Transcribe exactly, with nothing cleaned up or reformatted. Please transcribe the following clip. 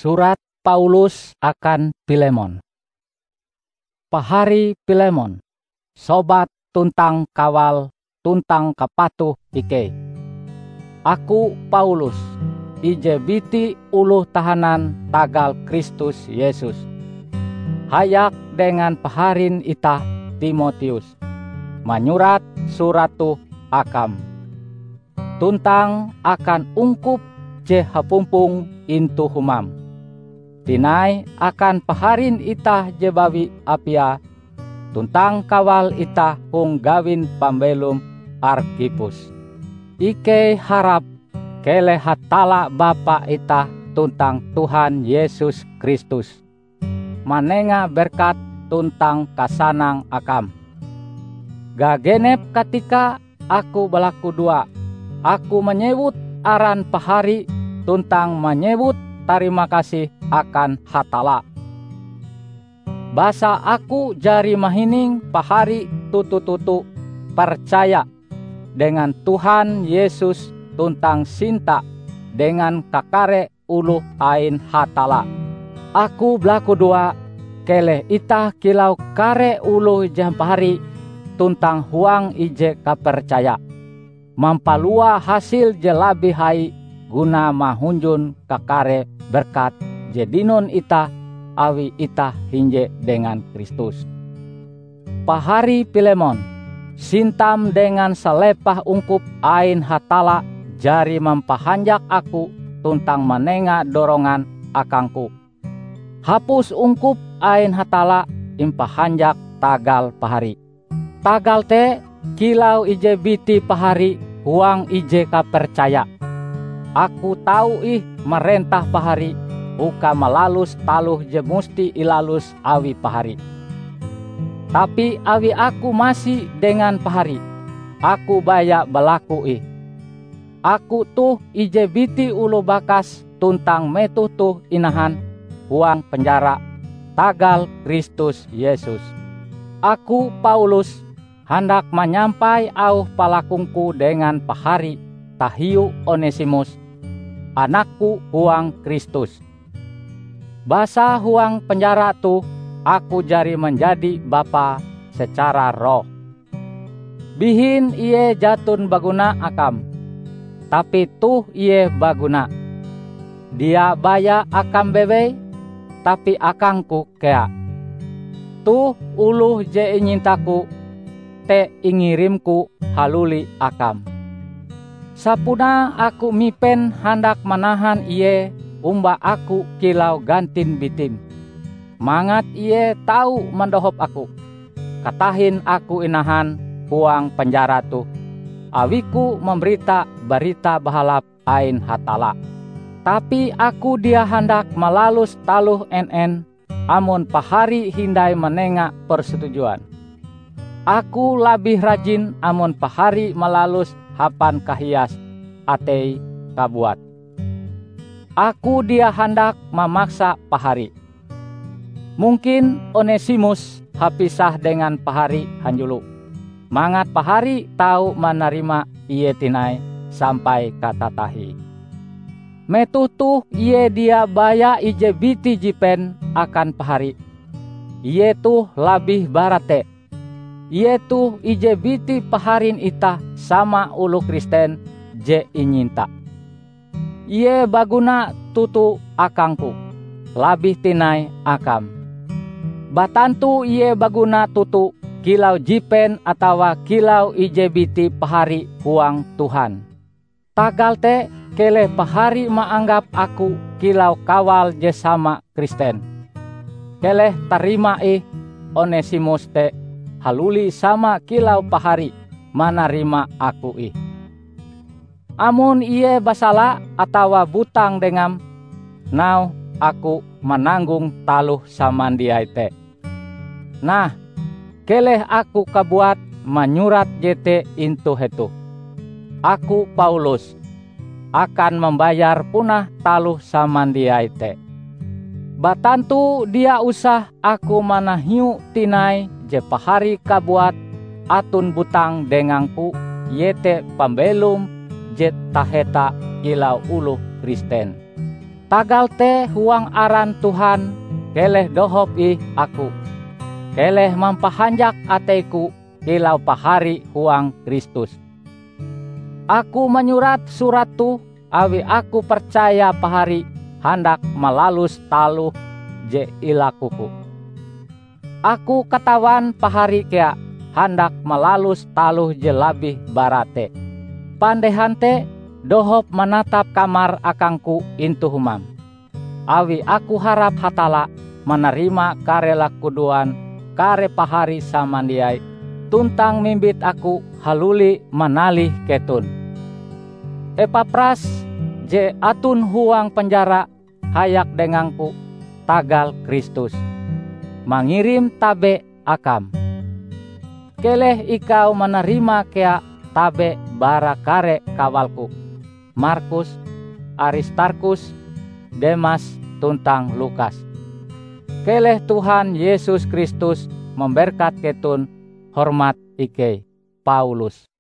Surat Paulus akan Pilemon. Pahari Pilemon, sobat tuntang kawal tuntang kapatuh ikei. Aku Paulus, ije biti oloh tahanan tagal Kristus Yesus, hayak dengan paharin itah Timoteus, manyurat surat toh akam, tuntang akan ungkup je hapumpong intu humam. Tinai akan paharin itah je bawi Apia, tuntang kawal itah hong gawin pambelom Arkhipus. Ikei harap keleh Hatalla Bapa itah tuntang Tuhan Yesus Kristus manenga berkat tuntang kasanang akam. Gagenep katika aku balakudoa, aku manyewut aran pahari tuntang manyewut tarima kasih akan Hatalla. Basa aku jari mahining pahari toto-toto percaya dengan Tuhan Yesus tuntang sinta dengan kakare oloh ain Hatalla. Aku balakudoa, keleh itah kilau kare oloh je hampahari tuntang huang ije kapercaya, mampalua hasil je labih hai guna mahunjun kakare berkat je dinon itah awi itah hinje dengan Kristus. Pahari Pilemon, sintam dengan salepah ungkup ain Hatalla jari mampahanjak aku tuntang manenga dorongan akangku. Hapus ungkup ain Hatalla impahanjak tagal pahari. Tagal te, kilau ije biti pahari huang ije kapercaya, aku tau ih marentah pahari uka malalus taloh je musti ilalus awi pahari. Tapi awi aku masi dengan pahari, aku baya balaku ih. Aku toh ije biti oloh bakas tuntang metoh toh inahan huang penjara tagal Kristus Yesus. Aku, Paulus, handak manyampai auh palakungku dengan pahari tahiu Onesimus, anakku huang Kristus. Basa huang penjara toh aku jari manjadi bapa secara roh. Bihin ie jaton baguna akam, tapi toh ie baguna, dia baya akam bewei, tapi akangku kea. Toh oloh je inyintaku te ingirimku haluli akam. Sapunae aku mipen handak manahan ie omba aku kilau gantin bitim, mangat ie tau mandohop aku. Katahin aku inahan huang penjara toh, awiku mambarita Barita Bahalap ain Hatalla. Tapi aku dia handak malalus taloh en-en amon pahari hindai manenga persetujuan. Aku labih rajin amon pahari malalus hapan kahias atei kabuat. Aku dia handak mamaksa pahari. Mungkin Onesimus hapisah dengan pahari hanjulo, mangat pahari tau manarima ie tinai sampai katatahie. Metoh toh ie dia baya ije biti jipen akan pahari. Ie toh labih bara te. Ie toh ije biti paharin itah sama oloh Kristen je inyinta. Ie baguna toto akangku, labih tinai akam. Batantu ie baguna toto kilau jipen atawa kilau ije biti pahari huang Tuhan. Tagal te, keleh pahari maanggap aku kilau kawal je sama Kristen. Keleh tarima ih Onesimus te haluli sama kilau pahari manarima aku ih. Amon ie basala atawa butang dengam, nauhe aku mananggong taloh samandiai te. Nah, keleh aku kabuat manyurat jete intu hetoh. Aku, Paulus, akan mambayar punah taloh samandiai te. Batantu dia usah aku manahiu tinai je pahari kabuat aton butang dengangku, iete pambelom je taheta kilau oloh Kristen. Tagal te huang aran Tuhan, keleh dohop ih aku. Keleh mampahanjak ateiku kilau pahari huang Kristus. Aku manyurat surat toh awi aku percaya pahari handak malalus taloh je ilakuku. Aku katawan pahari kea handak malalus taloh je labih bara te. Pandehan te dohop manatap kamar akangku intu humam. Awi aku harap Hatalla manarima kare lakudoan kare pahari samandiai tuntang mimbit aku haluli manalih keton. Epapras je aton huang penjara hayak dengangku tagal Kristus, mangirim tabe akam. Keleh ikau manarima kea tabe bara kare kawalku, Markus, Aristarkhus, Demas, tuntang Lukas. Keleh Tuhan Yesus Kristus mamberkat keton. Hormat ikei, Paulus.